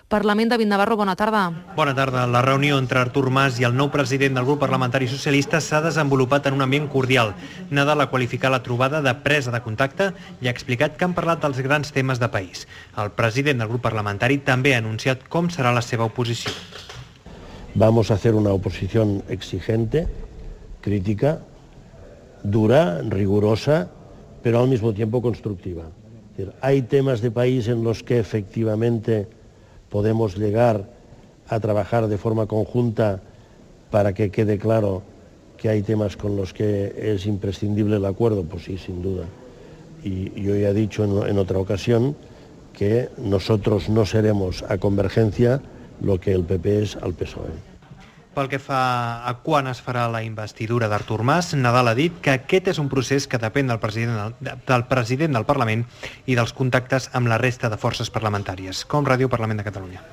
Parlament. David Navarro, bona tarda. Bona tarda. La reunió entre Artur Mas i el nou president del grup parlamentari socialista s'ha desenvolupat en un ambient cordial. Nadal ha qualificat la trobada de presa de contacte i ha explicat que han parlat dels grans temes de país. El president del grup parlamentari també ha anunciat com serà la seva oposició. Vamos a hacer una oposición exigente, crítica, dura, rigurosa, pero al mismo tiempo constructiva. Es decir, hay temas de país en los que efectivamente podemos llegar a trabajar de forma conjunta para que quede claro que hay temas con los que es imprescindible el acuerdo, pues sí, sin duda. Y yo ya he dicho en otra ocasión que nosotros no seremos a Convergencia lo que el PP es al PSOE. Pel que fa a quan es farà la investidura d'Artur Mas, Nadal ha dit que aquest és un procés que depèn del president del Parlament i dels contactes amb la resta de forces parlamentàries, com Ràdio Parlament de Catalunya.